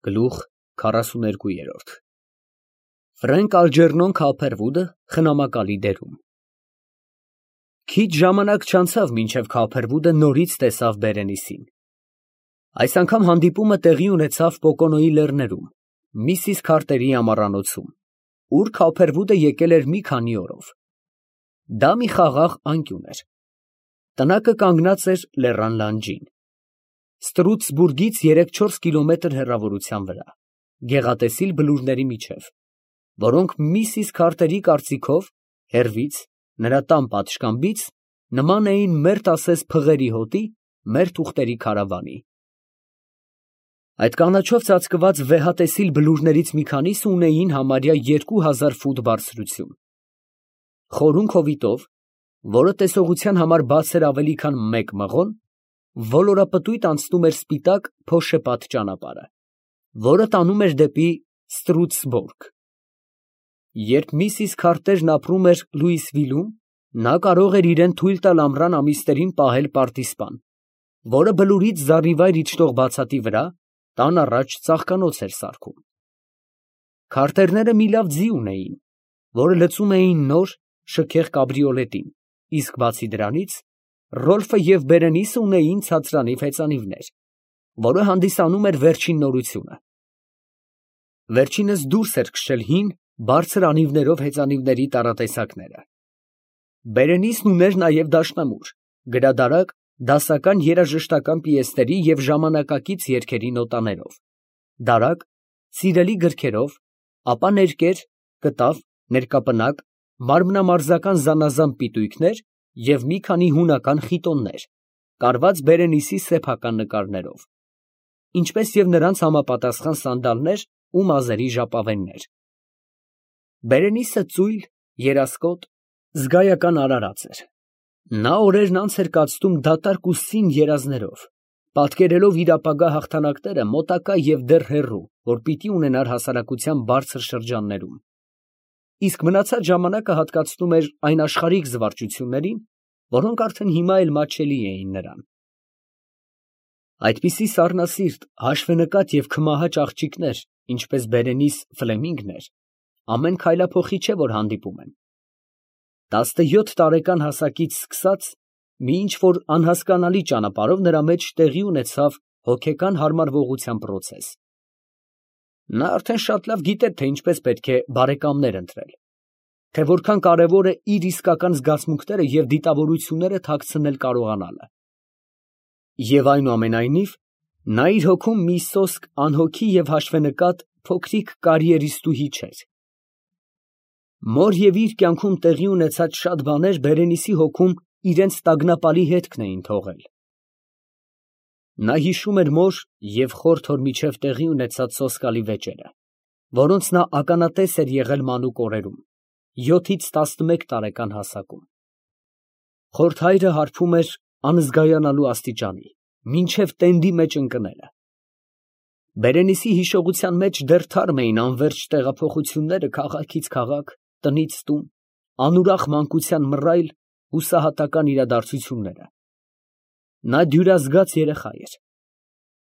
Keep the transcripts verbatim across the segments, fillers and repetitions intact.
Գլուխ քառասուներկու։ Ֆրենկ Ալջերնոն Քափերվուդը խնամակալի դերում։ Քիչ ժամանակ չանցավ, մինչև Քափերվուդը նորից տեսավ Բերենիսին։ Այս անգամ հանդիպումը տեղի ունեցավ Պոկոնոյի լեռներում, Միսիս Քարտերի ամառանոցում, ուր Քափերվուդը եկել էր մի քանի օրով։ Դա մի խաղաղ անկյուն էր։ Տնակը կանգնած էր լեռան լանջին, Ստրուցբուրգից երեք֊չորս կիլոմետր հեռավորության վրա, գեղատեսիլ բլուրների միջև, որոնք Միսիս Քարտերի կարծիքով հեռվից, նրա տան պատշգամբից, նման էին մերթ ասես փղերի հոտի, մերթ ուղտերի քարավանի։ Այդ կանաչով ծածկված վեհատեսիլ բլուրներից մի քանիսը ունեին համարյա երկու հազար ֆուտ բարձրություն։ Խորուն հովիտով, որը տեսողության համար բաց էր ավելի քան մեկ մղոն, ոլորապտույտ անցնում էր սպիտակ փոշեպատ ճանապարհը, որը տանում էր դեպի Ստրուցբորգ։ Երբ Միսիս Քարտերն ապրում էր Լուիսվիլում, նա կարող էր իրան թույլ տալ ամռան ամիսներին պահել պարտիզպան, որը բլուրից զառիվայր իջնող բացատի վրա տան առաջ ծաղկանոց էր սարքում։ Քարտերները մի լավ ձի ունեին, որը լցում էին նոր, շքեղ կաբրիոլետին, իսկ բացի դրանից, Ռոլֆը և Բերենիսը ունեին ցածրանիվ հեծանիվներ, որը հանդիսանում էր վերջին նորությունը։ Վերջինս դուրս էր քշել հին, բարձր անիվներով հեծանիվների տառատեսակները։ Բերենիսն ուներ նաև դաշնամուր, գրադարակ, դասական երաժշտական պիեսների և ժամանակակից երգերի նոտաներով, դարակ, սիրելի գրքերով, ապա ներկեր, կտավ, ներկապնակ, մարմնամարզական զանազան պիտույքներ և մի քանի հունական խիտոններ, կարված Բերենիսի սեփական նկարներով, ինչպես և նրանց համապատասխան սանդալներ ու մազերի ժապավեններ։ Բերենիսը ծույլ, երասկոտ, զգայական արարած էր։ Նա օրերն անց էր կացնում դատարկ ու սին երազներով, պատկերելով իր ապագա հաղթանակները մոտակա և դեռ հեռու, որ պիտի ունենար հասարակության բարձր շրջաններում, իսկ մնացած ժամանակը հատկացնում էր այն աշխարհիկ զվարճություններին, որոնք արդեն հիմա էլ մատչելի էին նրան։ Այդպիսի սառնասիրտ, հաշվենկատ և քմահաճ աղջիկներ, ինչպես Բերենիս Ֆլեմինգն էր, ամեն քայլափոխի չէ, որ հանդիպում են։ Տասնյոթ տարեկան հասակից սկսած, մի ինչ֊որ անհասկանալի ճանապարհով նրա մեջ տեղի ունեցավ հոգեկան հարմարվողության պրոցես։ Նա արդեն շատ լավ գիտեր, թե ինչպես պետք է բարեկամներ ընտրել, թե որքան կարևոր է իր իսկական զգացմունքները և դիտավորությունները թաքցնել կարողանալը։ Եվ այնուամենայնիվ, նա իր հոգում մի սոսկ անհոգի և հաշվենկատ փոքրիկ կարիերիստուհի չէր։ Մոր և իր կյանքում տեղի ունեցած շատ բաներ Բերենիսի հոգում իրենց տագնապալի հետքն էին թողել։ Նա հիշում էր մոր և խորթ հոր միջև տեղի ունեցած սոսկալի վեճերը, որոնց նա ականատես էր եղել մանուկ օրերում, յոթից տասնմեկ տարեկան հասակում։ Խորթ հայրը հարբում էր անզգայանալու աստիճանի, մինչև տենդի մեջ ընկնելը։ Բերենիսի հիշողության մեջ դեռ թարմ էին անվերջ տեղափոխությունները քաղաքից քաղաք, տնից տուն, անուրախ մանկության մռայլ, հուսահատական իրադարձությունները։ Նա դյուրազգաց երեխա էր։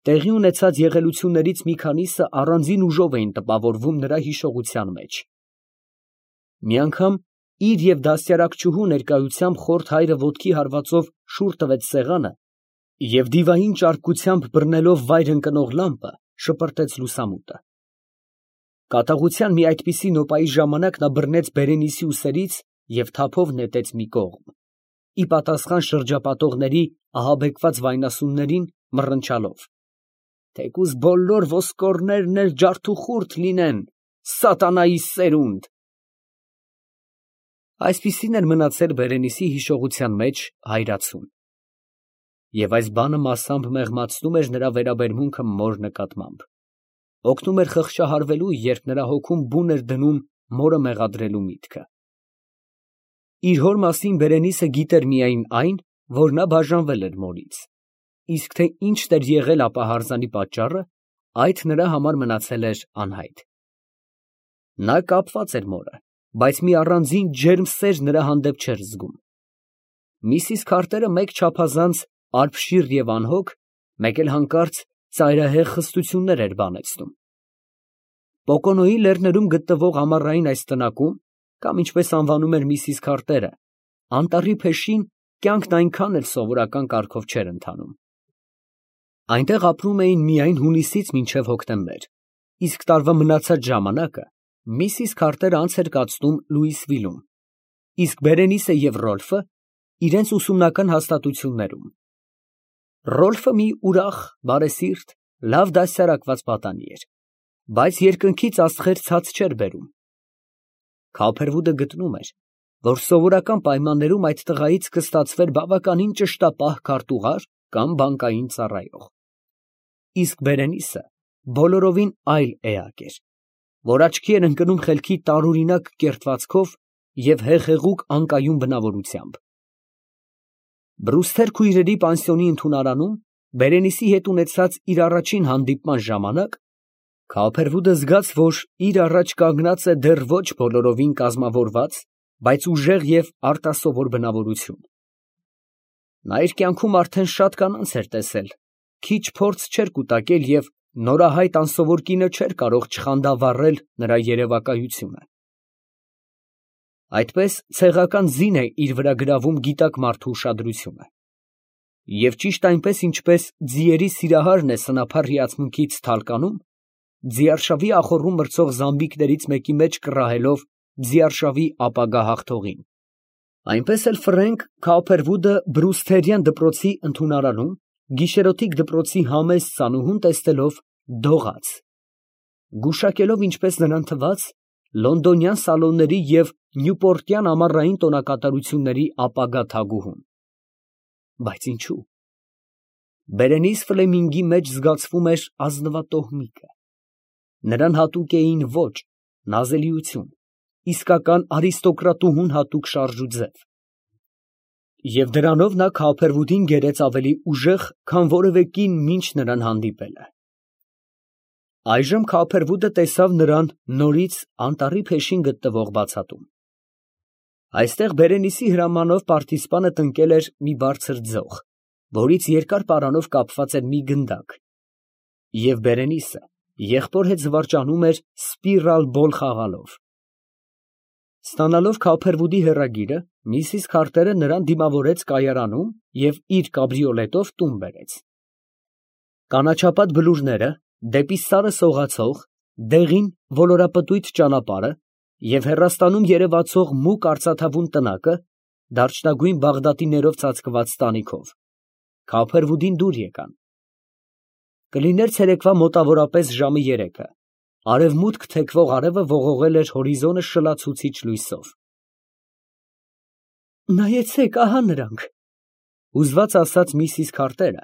Տեղի ունեցած եղելություններից մի քանիսը առանձին ուժով էին տպավորվում նրա հիշողության մեջ։ Մի անգամ իր և դաստիարակչուհու ներկայությամբ խորթ հայրը ոտքի հարվածով շուռ տվեց սեղանը և դիվային ճարպկությամբ բռնելով վայր ընկնող լամպը, շպրտեց լուսամուտը։ Կատաղության մի այդպիսի նոպայի ժամանակ նա բռնեց Բերենիսի ուսերից և թափով նետեց մի կողմ, ի պատասխան շրջապատողների ահաբեկված վայնասուններին մռնչալով. «Թեկուզ բոլոր ոսկորներն էլ ջարդուխուրդ լինեն, սատանայի սերունդ»։ Այսպիսին էր մնացել Բերենիսի հիշողության մեջ հայրացուն։ Եվ այս բանը մասամբ մեղմացնում էր նրա վերաբերմունքը մոր նկատմամբ, օգնում էր խղճահարվելու, երբ նրա հոգում բուն էր դնում մորը մեղադրելու միտքը։ Իր հոր մասին Բերենիսը գիտեր միայն այն, որ նա բաժանվել էր մորից, իսկ թե ինչն էր եղել ապա հարզանի պատճառը, այդ նրա համար մնացել էր անհայտ։ Նա կապված էր մորը, բայց մի առանձին ջերմ սեր նրա հանդեպ չէր զգում։ Միսիս Քարտերը մեկ չափազանց արբշիր և անհոգ, մեկ էլ հանկարծ ծայրահեղ խստություններ էր բանեցնում։ Պոկոնոյի լեռներում գտնվող ամառային այս տնակում, կամ ինչպես անվանում էր միսիս Քարտերը, անտառի փեշին կյանքն այնքան էլ սովորական կարգով չէր ընթանում։ Այնտեղ ապրում էին միայն հունիսից մինչև հոկտեմբեր, իսկ տարվա մնացած ժամանակը միսիս Քարտերը անց էր կացնում Լուիսվիլում, իսկ Բերենիսը և Ռոլֆը իրենց ուսումնական հաստատություններում։ Ռոլֆը մի ուրախ, բարեսիրտ, լավ դաստիարակված պատանի էր, բայց երկնքից աստղեր ցած չէր բերում։ Քոփերվուդը գտնում էր, որ սովորական պայմաններում այդ տղայից կստացվեր բավականին ճշտապահ քարտուղար կամ բանկային ծառայող։ Իսկ Բերենիսը բոլորովին այլ էակ էր, որ աչքի էր ընկնում խելքի տարօրինակ կերտվածքով և հեղեղուկ անկայուն բնավորությամբ։ Բրուսթեր քույրերի պանսիոնի ընդունարանում Բերենիսի հետ ունեցած իր առաջին հանդիպման ժամանակ Քոփերվուդը զգաց, որ իր առաջ կանգնած է դեռ ոչ բոլորովին կազմավորված, բայց ուժեղ և արտասովոր բնավորություն։ Նա իր կյանքում արդեն շատ կանանց էր տեսել, քիչ փորձ չէր կուտակել և նորահայտ անսովոր կինը չէր կարող չխանդավառել նրա երևակայությունը։ Այդպես ցեղական ձին է իր վրա գրավում գիտակ մարդու ուշադրությունը։ Եվ ճիշտ այնպես, ինչպես ձիերի սիրահարն է սնափառ հիացմունքից թալկանում, ձիարշավի ախոռում մրցող զամբիկներից մեկի մեջ կռահելով ձիարշավի ապագա հաղթողին, այնպես էլ Ֆրենկ Քոփերվուդը բրուսթերյան դպրոցի ընդունարանում գիշերօթիկ դպրոցի համեստ ծանուհուն տեսնելով դողաց, գուշակելով, ինչպես նրան թվաց, լոնդոնյան սալոնների և նյուպորտյան ամառային տոնակատարությունների ապագա թագուհուն։ Բայց ինչո՞ւ։ Բերենիս Ֆլեմինգի մեջ զգացվում էր ազնվատոհմիկը։ Նրան հատուկ էին ոճ, նազելիություն, իսկական արիստոկրատուհուն հատուկ շարժ ու ձև։ Եվ դրանով նա Քոփերվուդին գերեց ավելի ուժեղ, քան որևէ կին մինչ նրան հանդիպելը։ Այժմ Քոփերվուդը տեսավ նրան նորից անտառի փեշին գտնվող բացատում։ Այստեղ Բերենիսի հրամանով պարտիզպանը տնկել էր մի բարձր ձող, որից երկար պարանով կապված էր մի գնդակ, և Բերենիսը եղբոր հետ զվարճանում էր սպիրալ բոլ խաղալով։ Ստանալով Քոփերվուդի հեռագիրը, միսիս Քարտերը նրան դիմավորեց կայարանում և իր կաբրիոլետով տուն բերեց։ Կանաչապատ բլուրները, դեպի սարը սողացող, դեղին ոլորապտույտ ճանապարհը և հեռաստանում երևացող մուգ արծաթավուն տնակը, դարչնագույն բաղդատիներով ծածկված տանիքով, Քոփերվուդին դուր եկան։ Կլիներ ցերեկվա մոտավորապես ժամը երեքը, արևմուտք թեքվող արևը ողողել էր հորիզոնը շլացուցիչ լույսով։ «Նայեցեք, ահա նրանք», ֊ հուզված ասաց միսիս Քարտերը,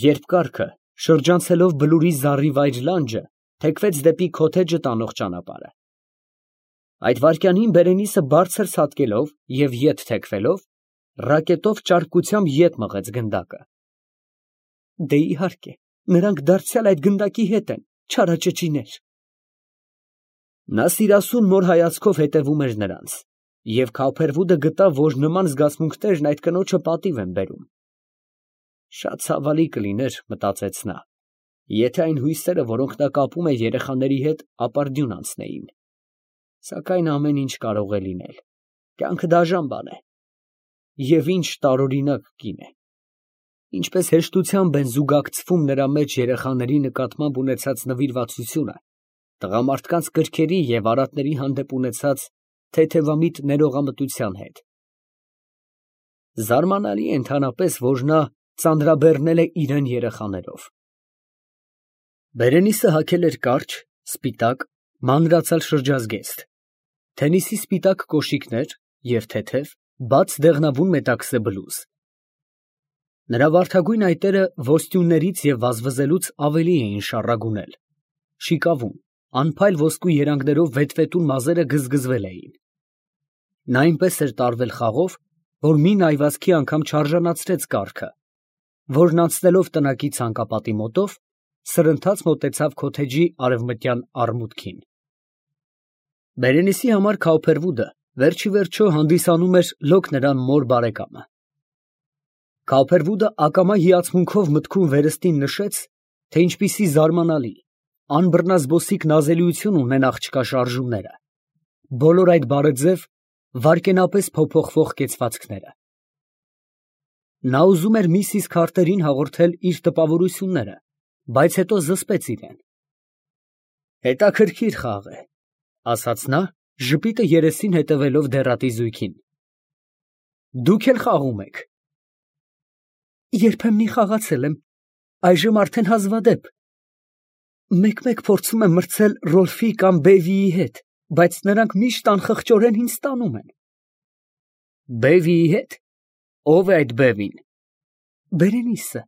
երբ կառքը, շրջանցելով բլուրի զառիվայր լանջը, թեքվեց դեպի քոթեջը տանող ճանապարհը։ Այդ վայրկյանին Բերենիսը բարձր ցատկելով և ետ թեքվելով, ռակետով ճարպկությամբ ետ մղեց գնդակը։ «Դե իհարկե, նրանք դարձյալ այդ գնդակի հետ են, չարաճճիներ»։ Նա սիրասուն մոր հայացքով հետևում էր նրանց, և Քոփերվուդը գտավ, որ նման զգացմունքներն այդ կնոջը պատիվ են բերում։ Շատ ցավալի կլիներ, մտածեց նա, եթե այն հույսերը, որոնք նա կապում է երեխաների հետ, ապարդյուն անցնեին։ Սակայն ամեն ինչ կարող է լինել, կյանքը դաժան բան է։ Եվ ինչ տարօրինակ կին է։ Ինչպես հեշտությամբ են զուգակցվում նրա մեջ երեխաների նկատմամբ ունեցած նվիրվածությունը տղամարդկանց կրքերի և արատների հանդեպ ունեցած թեթևամիտ ներողամտության հետ։ Զարմանալի է ընդհանրապես, որ նա ծանրաբեռնել է իրան երեխաներով։ Բերենիսը հագել էր կարճ, սպիտակ, մանրացալ շրջազգեստ, թենիսի սպիտակ կոշիկներ և թեթև, բաց դեղնավուն մետաքսե բլուզ։ Նրա վարդագույն այտերը ոստյուններից և վազվզելուց ավելի էին շառագունել, շիկավուն, անփայլ ոսկու երանգներով վետվետուն մազերը գզգզվել էին։ Նա այնպես էր տարվել խաղով, որ մի նայվածքի անգամ չարժանացրեց կառքը, որն անցնելով տնակի ցանկապատի մոտով, սրընթաց մոտեցավ քոթեջի արևմտյան արմուտքին։ Բերենիսի համար Քոփերվուդը վերջիվերջո հանդիսանում էր լոկ նրան մոր բարեկամը։ Քոփերվուդը ակամա հիացմունքով մտքում վերստին նշեց, թե ինչպիսի զարմանալի, անբռնազբոսիկ նազելիություն ունեն աղջկա շարժումները, բոլոր այդ բարեձև, վայրկենապես փոփոխվող կեցվածքները։ Նա ուզում էր միսիս Քարթերին հաղորդել իր տպավորությունները, բայց հետո զսպեց իրեն։ Հետաքրքիր խաղ է, ասաց նա, ժպիտը երեսին հետևելով դեռատի զույգին։ Դուք էլ խաղում եք։ Երբեմնի խաղացել եմ, այժմ արդեն հազվադեպ։ Մեկ-մեկ փորձում եմ մրցել Ռոլֆի կամ Բեվիի հետ, բայց նրանք միշտ անխղճորեն ինձ տանում են։ Բեվիի հետ։ Ո՞վ է այդ Բևին։ Բերենիսը։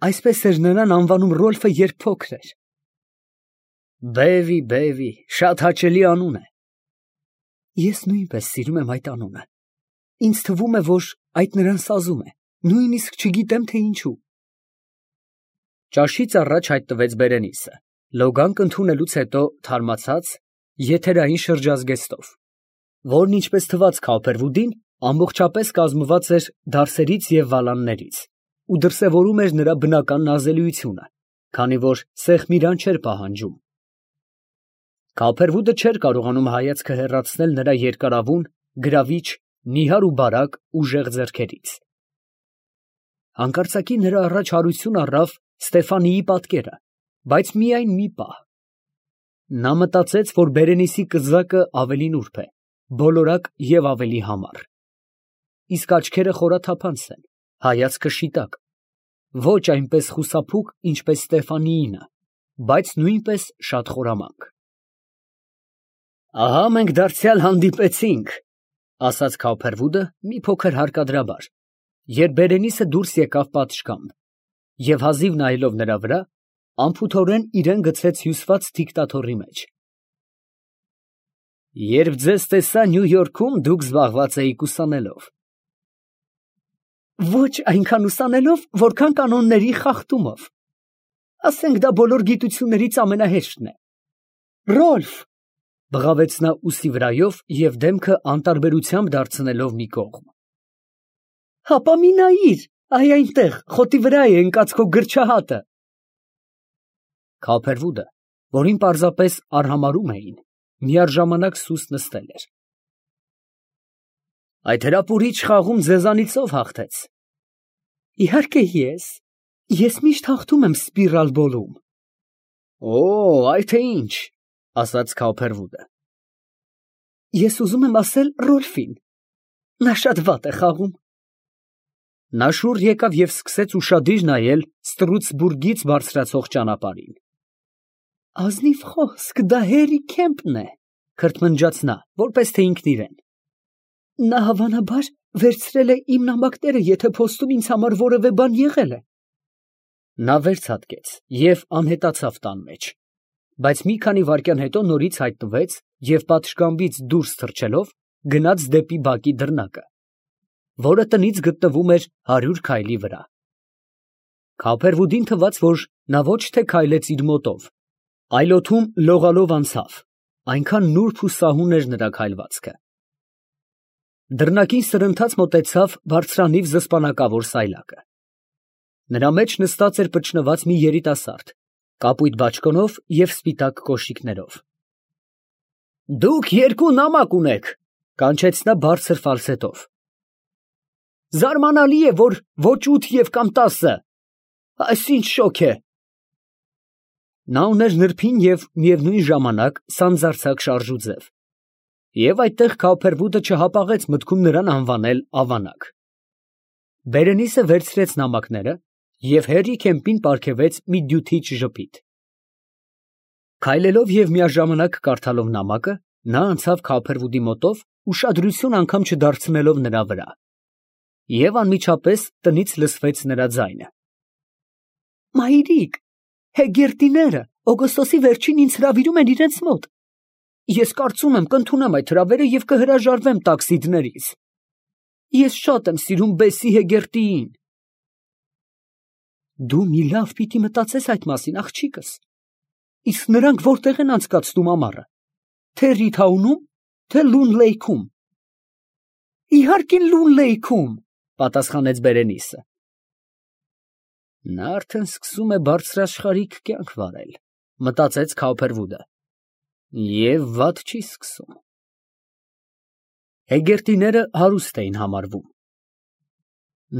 Այսպես էր նրան անվանում Ռոլֆը, երբ փոքր էր։ Բևի, Բևի, շատ հաճելի անուն է։ Ես նույնպես սիրում եմ այդ անունը։ Ինձ թվում է, որ այդ նրան սազում է, նույնիսկ չգիտեմ, թե ինչու։ Ճաշից առաջ հայտնվեց Բերենիսը, լոգանք ընդունելուց հետո թարմացած, եթերային շրջազգեստով, որն ինչպես թվաց Քոփերվուդին, ամբողջապես կազմված էր դարսերից և վալաններից ու դրսևորում էր նրա բնական նազելիությունը, քանի որ սեղմիրան չէր պահանջում։ Քոփերվուդը չէր կարողանում հայացքը հեռացնել նրա երկարավուն, գրավիչ, նիհար ու բարակ, ուժեղ ձեռքերից։ Հանկարծակի նրա առաջ հարություն առավ Ստեֆանիի պատկերը, բայց միայն մի պահ։ Նա մտածեց, որ Բերենիսի կզակը ավելի նուրբ է, բոլորակ և ավելի համառ։ Իսկ աչքերը խորաթափանց են, հայացքը շիտակ, ոչ այնպես խուսափուկ, ինչպես Ստեֆանիինը, բայց նույնպես շատ խորամանկ։ Ահա մենք դարձյալ հանդիպեցինք, ասաց Քոփերվուդը մի փոքր հարկադրաբար, երբ Բերենիսը դուրս եկավ պատշգամբ, և հազիվ նայելով նրա վրա, անփութորեն իրան գցեց հյուսված դիկտատորի մեջ։ Երբ ձեզ տեսա Նյու Յորքում, դուք զբաղված էիք ուսանելով։ Ոչ այնքան ուսանելով, որքան կանոնների խախտումով։ Ասենք դա բոլոր գիտություններից ամենահեշտն է։ Ռոլֆ, բղավեց նա ուսի վրայով և դեմքը անտարբերությամբ դարձնելով մի կողմ։ Հապա մի նայիր, այ այնտեղ, խոտի վրա է ընկած քո գրչահատը։ Քոփերվուդը, որին պարզապես արհամարհում էին, միաժամանակ սուս նստել էր։ Այդ հրապուրիչ խաղում ձեզանից ով հաղթեց։ Իհարկե ես, ես միշտ հաղթում եմ սպիրալ բոլում։ Օ, այդ է ինչ, ասաց Քոփերվուդը։ Ես ուզում եմ ասել Ռոլֆին, նա շատ վատ է խաղում։ Նա շուռ եկավ և սկսեց ուշադիր նայել Ստրուցբուրգից բարձրացող ճանապարհին։ Ազնիվ խոսք, դա Հերի Քեմպն է, քրթմնջաց նա, որպես թե ինքն իրեն։ Նա հավանաբար վերցրել է իմ նամակները, եթե փոստում ինձ համար որևէ բան եղել է։ Նա վերցատկեց և անհետացավ տան մեջ, բայց մի քանի վայրկյան հետո նորից հայտնվեց և պատշգամբից դուրս թռչելով գնաց դեպի բակի դռնակը, որը տնից գտնվում էր հարյուր քայլի վրա։ Քոփերվուդին թվաց, որ նա ոչ թե քայլեց իր մոտով, այլ օդում լողալով անցավ, այնքան նուրբ ու սահուն էր նրա քայլվածքը։ Դռնակին սրընթաց մոտեցավ բարձրանիվ զսպանակավոր սայլակը։ Նրա մեջ նստած էր պճնված մի երիտասարդ, կապույտ բաճկոնով և սպիտակ կոշիկներով։ Դուք երկու նամակ ունեք, կանչեց նա բարձր ֆալցետով։ Զարմանալի է, որ ոչ ութ և կամ տասը, այս ինչ շոգ է։ Նա ուներ նրբին և միևնույն ժամանակ սանձարձակ շարժուձև, և այդտեղ Քոփերվուդը չհապաղեց մտքում նրան անվանել ավանակ։ Բերենիսը վերցրեց նամակները և Հերի Քեմպին պարգևեց մի դյութիչ ժպիտ։ Քայլելով և միաժամանակ կարդալով նամակը, նա անցավ Քոփերվուդի մոտով, ուշադրություն անգամ չդարձնելով նրա վրա, և անմիջապես տնից լսվեց նրա ձայնը։ Մայրիկ, Հեգերտիները օգոստոսի վերջին ինձ հրավիրում են իրենց մոտ։ Ես կարծում եմ կընդունեմ այդ հրավերը և կհրաժարվեմ տաքսիդներից։ Ես շատ եմ սիրում Բեսի Հեգերտիին։ Դու մի լավ պիտի մտածես այդ մասին, աղջիկս։ Իսկ նրանք որտեղ են անցկացնում ամառը, թե Ռիդհաունում, թե Լուն Լեյքում։ Իհարկե Լուն Լեյքում, պատասխանեց Բերենիսը։ Նա արդեն սկսում է բարձրաշխարհիկ կյանք վարել, Մտածեց Քավփերվուդը։ Եվ վատ չի սկսում։ Հեգերտիները հարուստ էին համարվում։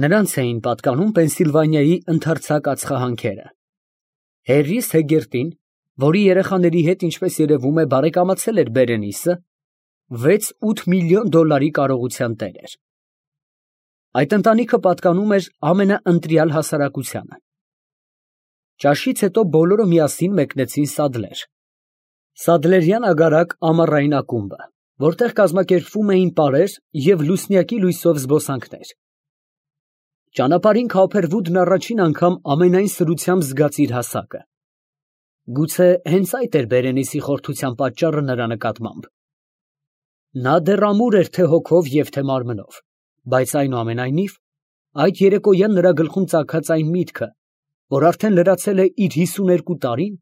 Նրանց էին պատկանում Պենսիլվանիայի ընդարձակ ածխահանքերը։ Հերրիս Հեգերտին, որի երեխաների հետ, ինչպես երևում է, բարեկամացել էր Բերենիսը, վեց֊ութ միլիոն դոլարի կարողության տեր էր։ Այդ ընտանիքը պատկանում էր ամենաընտրյալ հասարակությանը։ Ճաշից հետո բոլորը միասին մեկնեցին Սադլեր։ Սադլերյան ագարակ ամառային ակումբը, որտեղ կազմակերպվում էին պարեր և լուսնյակի լույսով զբոսանքներ։ Ճանապարհին Քավփերվուդն առաջին անգամ ամենայն սրությամբ զգաց իր հասակը։ Գուցե հենց այդ էր Բերենիսի խորթության պատճառը նրա նկատմամբ։ Նա դեռ ամուր էր թե հոգով և թե մարմնով, բայց այնուամենայնիվ, այդ երեկոյան նրա գլխում ծագած այն միտքը, որ արդեն լրացել է իր հիսուներկու տարին,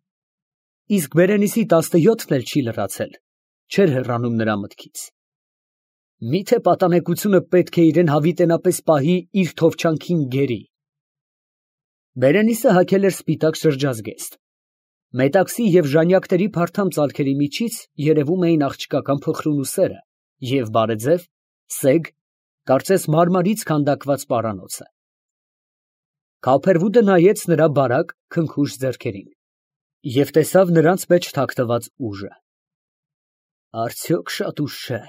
իսկ Բերենիսի տասնյոթն էլ չի լրացել, չէր հեռանում նրա մտքից։ Միթե պատանեկությունը պետք է իրեն հավիտենապես պահի իր թովչանքին գերի։ Բերենիսը հագել էր սպիտակ շրջազգեստ։ Մետաքսի և ժանյակների փարթամ ծալքերի միջից երևում էին աղջկական փխրունուսերը և բարեձև, սեգ, կարծես մարմարից քանդակված պարանոցը։ Քավփերվուդը նայեց նրա բարակ, քնքուշ ձեռքերին և տեսավ նրանց մեջ թաքնված ուժը։ Արդյոք շատ ուշ չէ։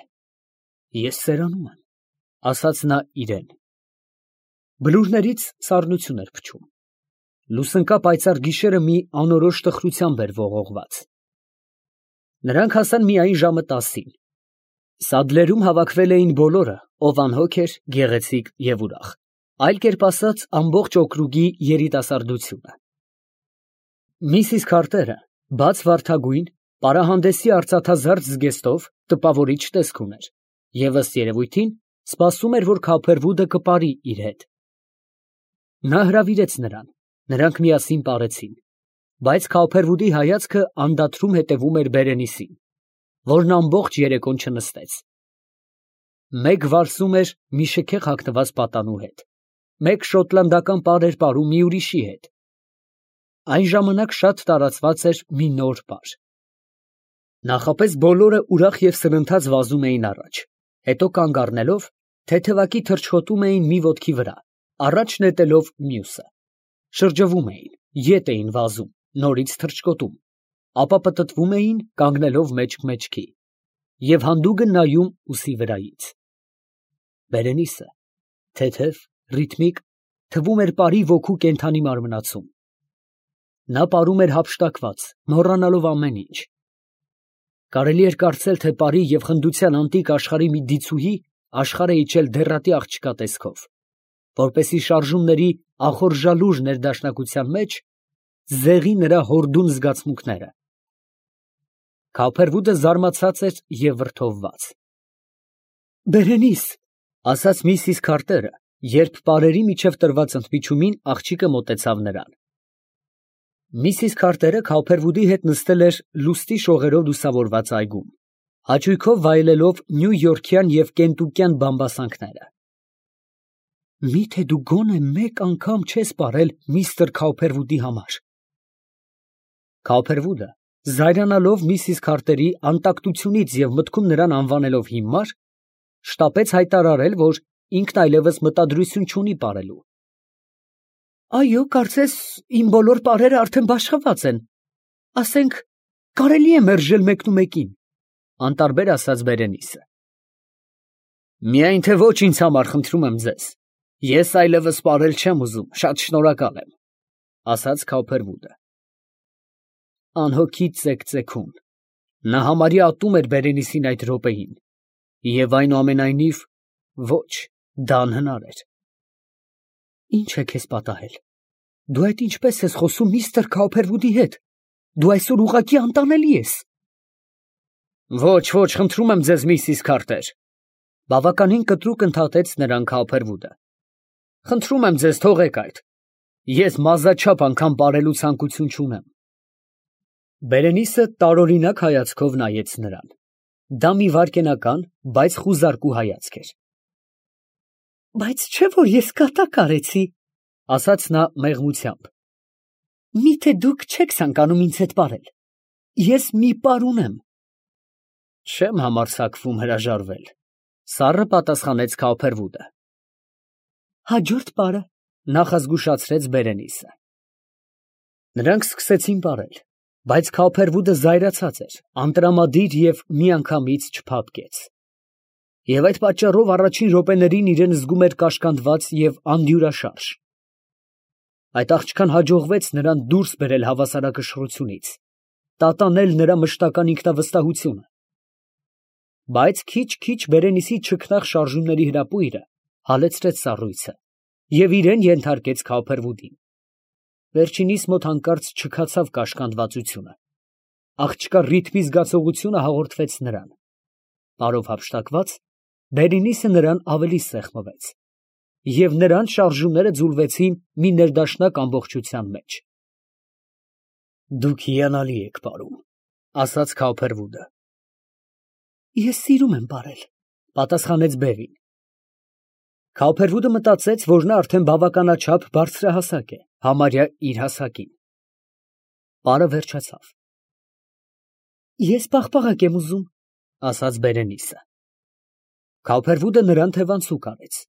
Ես սերանում եմ, ասաց նա իրեն։ Բլուրներից սառնոթյուն էր փչում։ Լուսնկա պայծառ գիշերը մի անորոշ տխրությամբ էր ողողված։ Նրանք հասան միայն ժամը տասին։ Սադլերում հավաքվել էին բոլորը, ով անհոգ էր, գեղեցիկ և ուրախ, այլ կերպ ասած, ամբողջ օկրուգի երիտասարդությունը։ Միսիս Քարտերը, բաց վարդագույն, պարահանդեսի արծաթազարդ զգեստով, տպավորիչ տեսք ուներ և, ըստ երևույթին, սպասում էր, որ Քավփերվուդը կպարի իր հետ։ Նա հրավիրեց նրան, նրանք միասին պարեցին, բայց Քավփերվուդի հայացքը անդադրում հետևում էր Բերենիսին, որն ամբողջ երեկոն չնստեց։ Մեկ վարսում էր մի շքեղ հագնված պատանու հետ, մեկ շոտլանդական պար էր պարում մի ուրիշի հետ։ Այն ժամանակ շատ տարածված էր մի նոր պար։ Նախապես բոլորը ուրախ և սրընթաց վազում էին առաջ, հետո կանգ առնելով, թեթևակի թռչկոտում էին մի ոտքի վրա, առաջ նետելով մյուսը, շրջվում էին, ետ էին վազում, նորից թռչկոտում, ապա պտտվում էին, կանգնելով մեջք֊մեջքի և հանդուգն նայում ուսի վրայից։ Բերենիսը թեթև, ռիթմիկ, թվում էր պարի ոգու կենդանի մարմնացում։ Նա պարում էր հափշտակված, մոռանալով ամեն ինչ։ Կարելի էր կարծել, թե պարի և խնդության անտիկ աշխարհի մի դիցուհի աշխարհ է իջել դեռատի աղջկա տեսքով, որպեսզի շարժումների ախորժալուր ներդաշնակության մեջ զեղի նրա հորդուն զգացմունքները։ Քավփերվուդը զարմացած էր և վրդովված։ Բերենիս, ֊ ասաց միսիս Քարտերը, երբ պարերի միջև տրված ընդմիջումին աղջիկը մոտեցավ նրան։ Միսիս Քարտերը Քավփերվուդի հետ նստել էր լուստի շողերով լուսավորված այգում, հաճույքով վայելելով նյույորքյան և կենտուկյան բամբասանքները։ Միթե դու գոնե մեկ անգամ չես պարել միստր Քավփերվուդի համար։ Քավփերվուդը, զայրանալով միսիս Քարտերի անտակտությունից և մտքում նրան անվանելով հիմար, շտապեց հայտարարել, որ ինքն այլևս մտադրություն չունի պարելու։ Այո, կարծես իմ բոլոր պարերը արդեն բաշխված են, ասենք, կարելի է մերժել մեկնումեկին, անտարբեր ասաց Բերենիսը։ Միայն թե ոչ ինձ համար, խնդրում եմ ձեզ, ես այլևս պարել չեմ ուզում, շատ շնորհակալ եմ, ասաց Քավփերվուդը։ Անհոգի ծեքծեքում, նա համարյա ատում էր Բերենիսին այդ րոպեին, և այնուամենայնիվ, ոչ, դա անհնար էր։ Ի՞նչ է քեզ պատահել։ Դու այդ ինչպես ես խոսում միստր Քավփերվուդի հետ։ Դու այսօր ուղղակի անտանելի ես։ Ոչ, ոչ, խնդրում եմ ձեզ, միսիս Քարտեր, բավականին կտրուկ ընդհատեց նրան Քավփերվուդը։ Խնդրում եմ ձեզ, թողեք այդ։ Ես մազաչափ անգամ պարելու ցանկություն չունեմ։ Բերենիսը տարօրինակ հայացքով նայեց նրան։ Դա մի վայրկենական, բայց խուզարկու հայացք էր։ Բայց չէ՞ որ ես կատակ արեցի, ասաց նա մեղմությամբ։ Միթե դուք չեք ցանկանում ինձ հետ պարել։ Ես մի պար ունեմ։ Չեմ համարձակվում հրաժարվել, սառը պատասխանեց Քավփերվուդը։ Հաջորդ պարը, նախազգուշացրեց Բերենիսը։ Նրանք սկսեցին պարել, բայց Քավփերվուդը զայրացած էր, անտրամադիր և միանգամից չփափկեց։ Եվ այդ պատճառով առաջին րոպեներին իրեն զգում էր կաշկանդված և անդյուրաշարժ։ Այդ աղջկան հաջողվեց նրան դուրս բերել հավասարակշռությունից, տատանել նրա մշտական ինքնավստահությունը։ Բայց քիչ֊քիչ Բերենիսի չքնաղ շարժումների հրապույրը հալեցրեց սառույցը և իրան ենթարկեց Քավփերվուդին։ Վերջինիս մոտ հանկարծ չքացավ կաշկանդվածությունը։ Աղջկա ռիթմի զգացողությունը հաղորդվեց նրան։ Պարով հափշտակված, Բերենիսը նրան ավելի սեղմվեց, և նրանց շարժումները ձուլվեցին մի ներդաշնակ ամբողջության մեջ։ Դուք հիանալի եք պարում, ասաց Քավփերվուդը։ Ես սիրում եմ պարել, պատասխանեց բևին։ Քավփերվուդը մտածեց, որ նա արդեն բավականաչափ բարձրահասակ է, համարյա իր հասակին։ Պարը վերջացավ։ Ես պաղպաղակ եմ ուզում, ասաց Բերենիսը։ Քավփերվուդը նրան թևանցուկ արեց։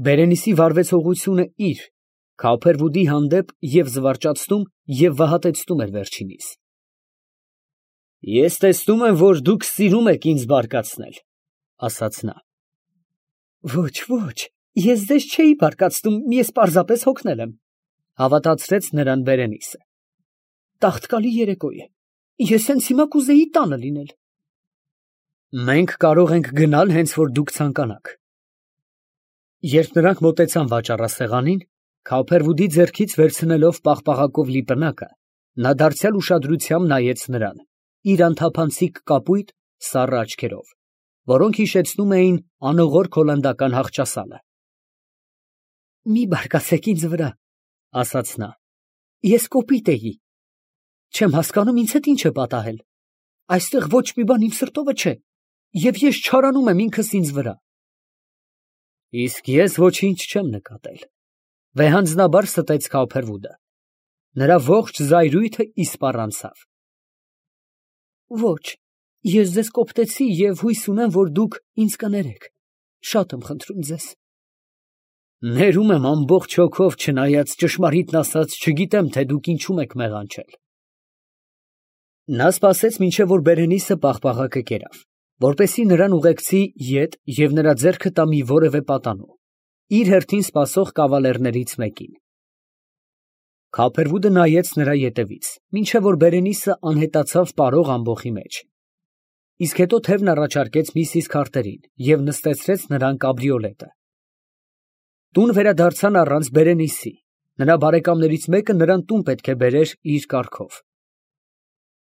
Բերենիսի վարվեցողությունը իր, Քավփերվուդի հանդեպ և զվարճացնում, և վհատեցնում էր վերջինիս։ Ես տեսնում եմ, որ դուք սիրում եք ինձ բարկացնել, ասաց նա։ Ոչ, ոչ, ես ձեզ չէի բարկացնում, ես պարզապես հոգնել եմ, հավատացրեց նրան Բերենիսը։ Տաղտկալի երեկո է, ես հենց հիմա կուզեի տանը լինել։ Մենք կարող ենք գնալ, հենց որ դուք ցանկանաք։ Երբ նրանք մոտեցան վաճառասեղանին, Քավփերվուդի ձեռքից վերցնելով պաղպաղակով լի պնակը, նա դարձյալ ուշադրությամբ նայեց նրան, իր անթափանցիկ կապույտ, սառը աչքերով, որոնք հիշեցնում էին անողորք հոլանդական հաղճասալը։ Մի բարկացեք ինձ վրա, ասաց նա, ես կոպիտ էի։ Չեմ հասկանում ինձ հետ ինչ է պատահել։ Այստեղ ոչ մի բան իմ սրտովը չէ, և ես չարանում եմ ինքս ինձ վրա։ Իսկ ես ոչինչ չեմ նկատել, վեհանձնաբար ստեց Քավփերվուդը։ Նրա ողջ զայրույթը իսպառ անցավ։ Ոչ, ես ձեզ կոպտեցի և հույս ունեմ, որ դուք ինձ կներեք, շատ եմ խնդրում ձեզ։ Ներում եմ ամբողջ հոգով, չնայած ճշմարիտն ասած չգիտեմ, թե դուք ինչում եք մեղանչել։ Նա սպասեց, մինչև որ Բերենիսը պաղպաղակը կերավ, որպեսզի նրան ուղեկցի ետ և նրա ձեռքը տա մի որևէ պատանու, իր հերթին սպասող կավալերներից մեկին։ Քավփերվուդը նայեց նրա ետևից, մինչև որ Բերենիսը անհետացավ պարող ամբոխի մեջ, իսկ հետո թևն առաջարկեց միսիս Քարթերին և նստեցրեց նրան կաբրիոլետը։ Տուն վերադարձան առանց Բերենիսի, նրա բարեկամներից մեկը նրան տուն պետք է բերեր իր կառքով։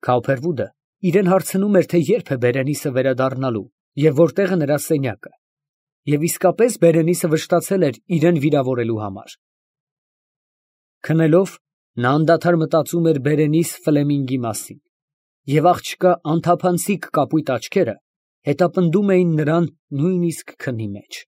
Քավփերվուդը իրեն հարցնում էր, թե երբ է Բերենիսը վերադառնալու և որտեղ է նրա սենյակը, և իսկապես Բերենիսը վշտացել էր իրան վիրավորելու համար։ Քնելով, նա անդադար մտածում էր Բերենիս Ֆլեմինգի մասին, և աղջկա անթափանցիկ կապույտ աչքերը հետապնդում էին նրան նույնիսկ քնի մեջ։